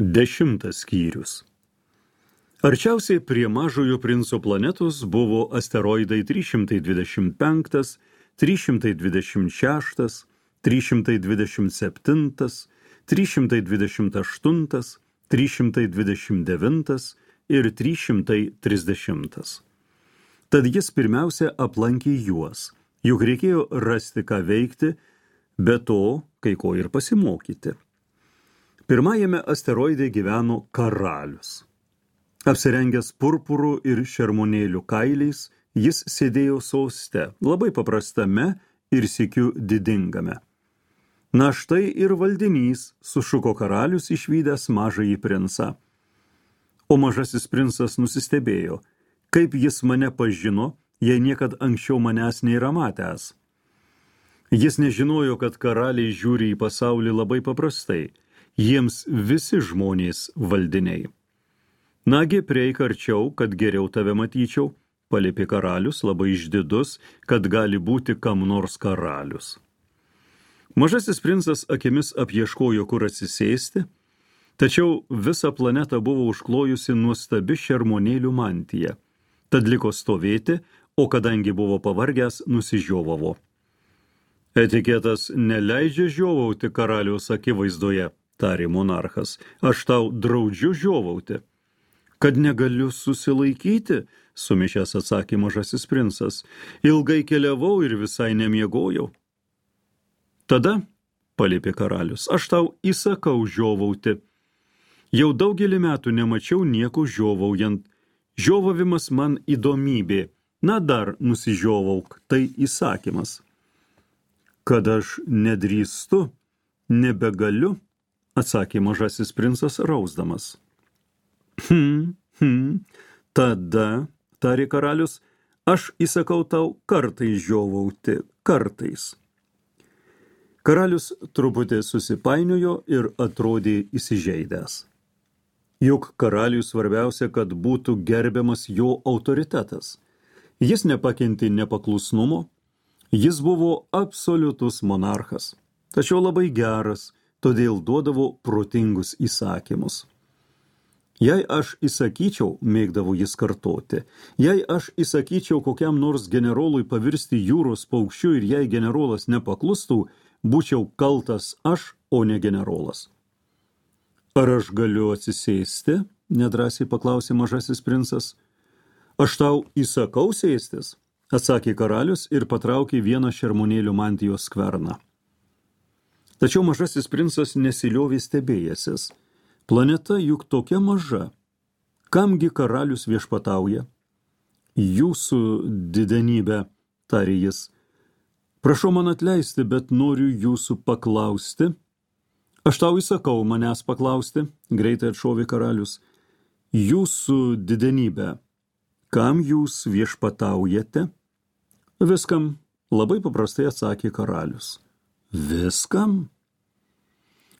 10 skyrius. Arčiausiai prie mažojo princo planetos buvo asteroidai 325, 326, 327, 328, 329 ir 330. Tad jis pirmiausia aplankė juos, juk reikėjo rasti ką veikti, be to kai ko ir pasimokyti. Pirmajame asteroide gyveno karalius. Apsirengęs purpurų ir šermonėlių kailiais, jis sėdėjo soste, labai paprastame ir sykiu didingame. Na štai ir valdinys, sušuko karalius išvydęs mažąjį princą. O mažasis princas nusistebėjo, kaip jis mane pažino, jei niekad anksčiau manęs nėra matęs. Jis nežinojo, kad karaliai žiūri į pasaulį labai paprastai, jiems visi žmonės valdiniai. Nagi, prieik arčiau, kad geriau tave matyčiau, paliepė karalius, labai išdidus, kad gali būti kam nors karalius. Mažasis princas akimis apieškojo, kur atsisėsti, tačiau visą planetą buvo užklojusi nuostabi šermonėlių mantija. Tad liko stovėti, o kadangi buvo pavargęs, nusižiovavo. Etiketas neleidžia žiovauti karaliaus akivaizdoje, tarė monarchas. Aš tau draudžiu žiovauti. Kad negaliu susilaikyti, sumišęs atsakė mažasis princas. Ilgai keliavau ir visai nemiegojau. Tada, paliepė karalius, aš tau įsakau žiovauti. Jau daugelį metų nemačiau nieko žiovaujant. Žiovavimas man įdomybė. Na dar nusižiovauk, tai įsakymas. Kad aš nedrįstu, nebegaliu, atsakė mažasis princas rausdamas. Tada, tarė karalius, aš įsakau tau kartais žiovauti, kartais. Karalius truputį susipainiojo ir atrodė įsižeidęs. Juk karaliui svarbiausia, kad būtų gerbiamas jo autoritetas. Jis nepakentė nepaklusnumo, jis buvo absoliutus monarchas, tačiau labai geras, todėl duodavo protingus įsakymus. Jei aš įsakyčiau, mėgdavo jis kartoti, jei aš įsakyčiau kokiam nors generolui pavirsti jūros paukščiu ir jei generolas nepaklustų, būčiau kaltas aš, o ne generolas. Ar aš galiu atsisėsti? Nedrąsiai paklausė mažasis princas. Aš tau įsakau sėstis, atsakė karalius ir patraukė vieną šermonėlių mantijos skverną. Tačiau mažasis princas nesiliovė stebėjęsis. Planeta juk tokia maža. Kamgi karalius viešpatauja? Jūsų didenybė, tarė jis. Prašau man atleisti, bet noriu jūsų paklausti. Aš tau įsakau manęs paklausti, greitai atšovė karalius. Jūsų didenybė, kam jūs viešpataujate? Viskam, labai paprastai atsakė karalius. Viskam?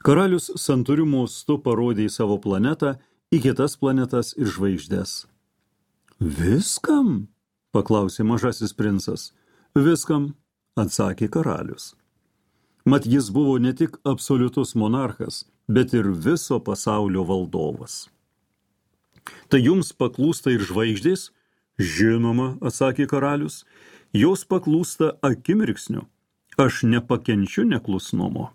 Karalius santūriu mostu parodė į savo planetą, į kitas planetas ir žvaigždes. Viskam? Paklausė mažasis princas. Viskam, atsakė karalius. Mat jis buvo ne tik absoliutus monarchas, bet ir viso pasaulio valdovas. Tai jums paklūsta ir žvaigždės? Žinoma, atsakė karalius, jos paklūsta akimirksniu. Aš nepakenčiu neklusnumo.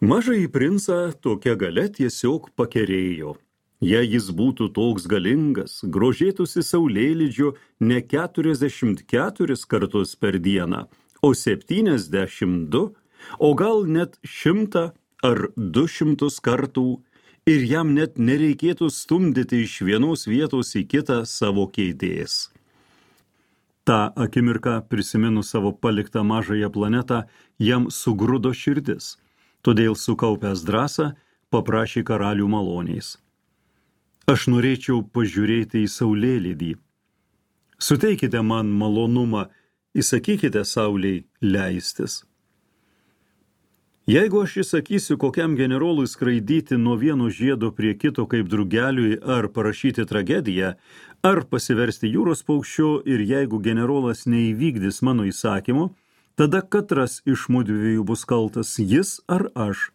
Mažąjį princą tokia galia tiesiog pakerėjo. Jei jis būtų toks galingas, grožėtųsi saulėlydžiu ne 44 kartus per dieną, o 72, o gal net 100 ar 200 kartų, ir jam net nereikėtų stumdyti iš vienos vietos į kitą savo kėdės. Ta akimirką, prisiminus savo paliktą mažąją planetą, jam sugrudo širdis. Todėl sukaupęs drąsą, paprašė karalių maloniais. Aš norėčiau pažiūrėti į saulėlydį. Suteikite man malonumą, įsakykite saulei leistis. Jeigu aš įsakysiu kokiam generolui skraidyti nuo vieno žiedo prie kito kaip drugeliui ar parašyti tragediją, ar pasiversti jūros paukščiu ir jeigu generolas neįvykdys mano įsakymo, tada katras iš mudviejų bus kaltas, jis ar aš.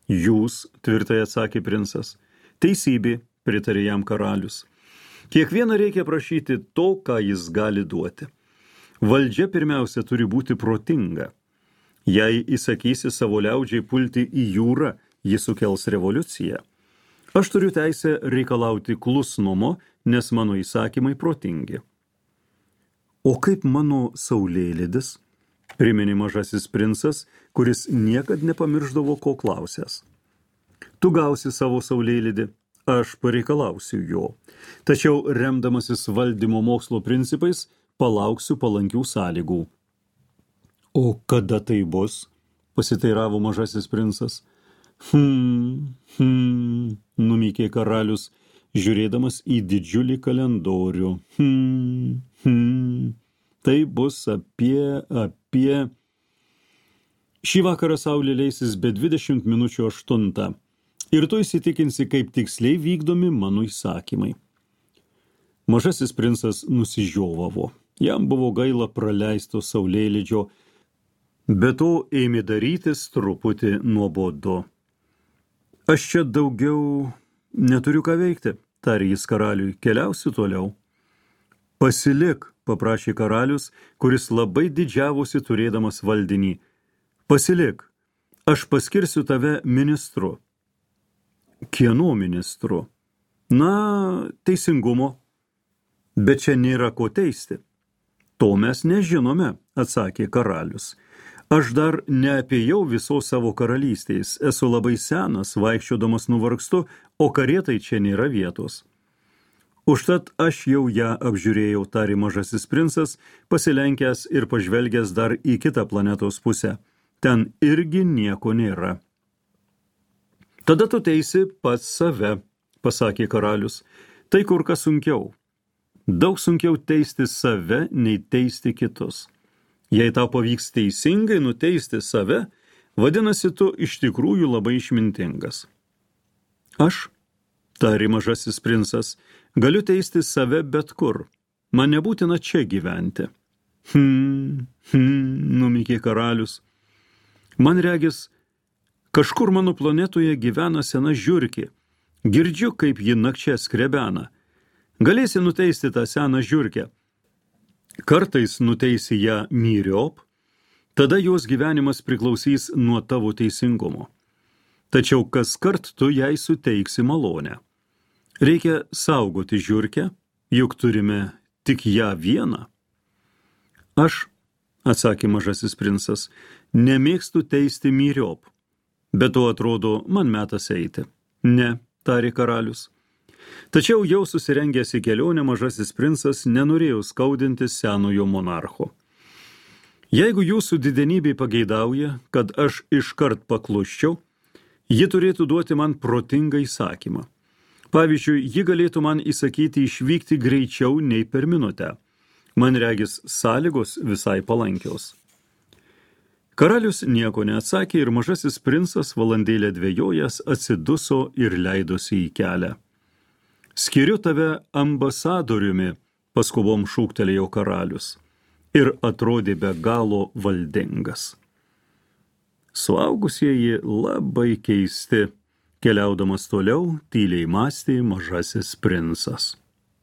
Jūs, tvirtai atsakė princas. Teisybė, pritarė jam karalius. Kiekvieną reikia prašyti to, ką jis gali duoti. Valdžia pirmiausia turi būti protinga. Jei įsakysi savo liaudžiai pulti į jūrą, ji sukels revoliuciją. Aš turiu teisę reikalauti klusnumo, nes mano įsakymai protingi. O kaip mano saulėlydis? Priminė mažasis princas, kuris niekad nepamirždavo, ko klausęs. Tu gausi savo saulėlydį, aš pareikalausiu jo. Tačiau, remdamasis valdymo mokslo principais, palauksiu palankių sąlygų. O kada tai bus? Pasiteiravo mažasis princas. Numykė karalius, žiūrėdamas į didžiulį kalendorių. Tai bus apie... Šį vakarą saulė leisis be 20 minučių 8. Ir tu įsitikinsi, kaip tiksliai vykdomi mano įsakymai. Mažasis princas nusižiovavo. Jam buvo gaila praleisto saulėlydžio, bet to ėmė darytis truputį nuobodu. Aš čia daugiau neturiu ką veikti, tarė jis karaliui, keliausiu toliau. Pasilik, paprašė karalius, kuris labai didžiavosi turėdamas valdinį. Pasilik, aš paskirsiu tave ministru. Kieno ministru? Na, teisingumo. Bet čia nėra ko teisti. To mes nežinome, atsakė karalius. Aš dar neapėjau visos savo karalystės, esu labai senas, vaikščiodamas nuvargstu, o karietai čia nėra vietos. Užtat aš jau ją apžiūrėjau, tarė mažasis princas, pasilenkęs ir pažvelgęs dar į kitą planetos pusę. Ten irgi nieko nėra. Tada tu teisi pats save, pasakė karalius. Tai kur kas sunkiau. Daug sunkiau teisti save, nei teisti kitus. Jei tau pavyks teisingai nuteisti save, vadinasi tu iš tikrųjų labai išmintingas. Aš, tarė mažasis princas, galiu teisti save bet kur. Man nebūtina čia gyventi. Numykė karalius. Man regis, kažkur mano planetoje gyvena sena žiurkė. Girdžiu, kaip ji nakčia skrebena. Galėsi nuteisti tą seną žiurkę. Kartais nuteisi ją myriop, tada jos gyvenimas priklausys nuo tavo teisingumo. Tačiau kaskart tu jai suteiksi malonę. Reikia saugoti žiurkę, juk turime tik ją vieną. Aš, atsakė mažasis princas, nemėgstu teisti myriop, bet to atrodo, man metas eiti. Ne, tarė karalius. Tačiau jau susirengęs į kelionę mažasis princas nenorėjo skaudinti senojo monarcho. Jeigu jūsų didenybė pageidauja, kad aš iškart paklusčiau, ji turėtų duoti man protingą įsakymą. Pavyzdžiui, ji galėtų man įsakyti išvykti greičiau nei per minutę. Man regis sąlygos visai palankios. Karalius nieko neatsakė ir mažasis princas valandėlę dvejojęs atsiduso ir leidosi į kelią. Skiriu tave ambasadoriumi, paskubom šūktelėjo karalius, ir atrodė be galo valdingas. Suaugusieji labai keisti, keliaudamas toliau, tyliai mąstė mažasis princas.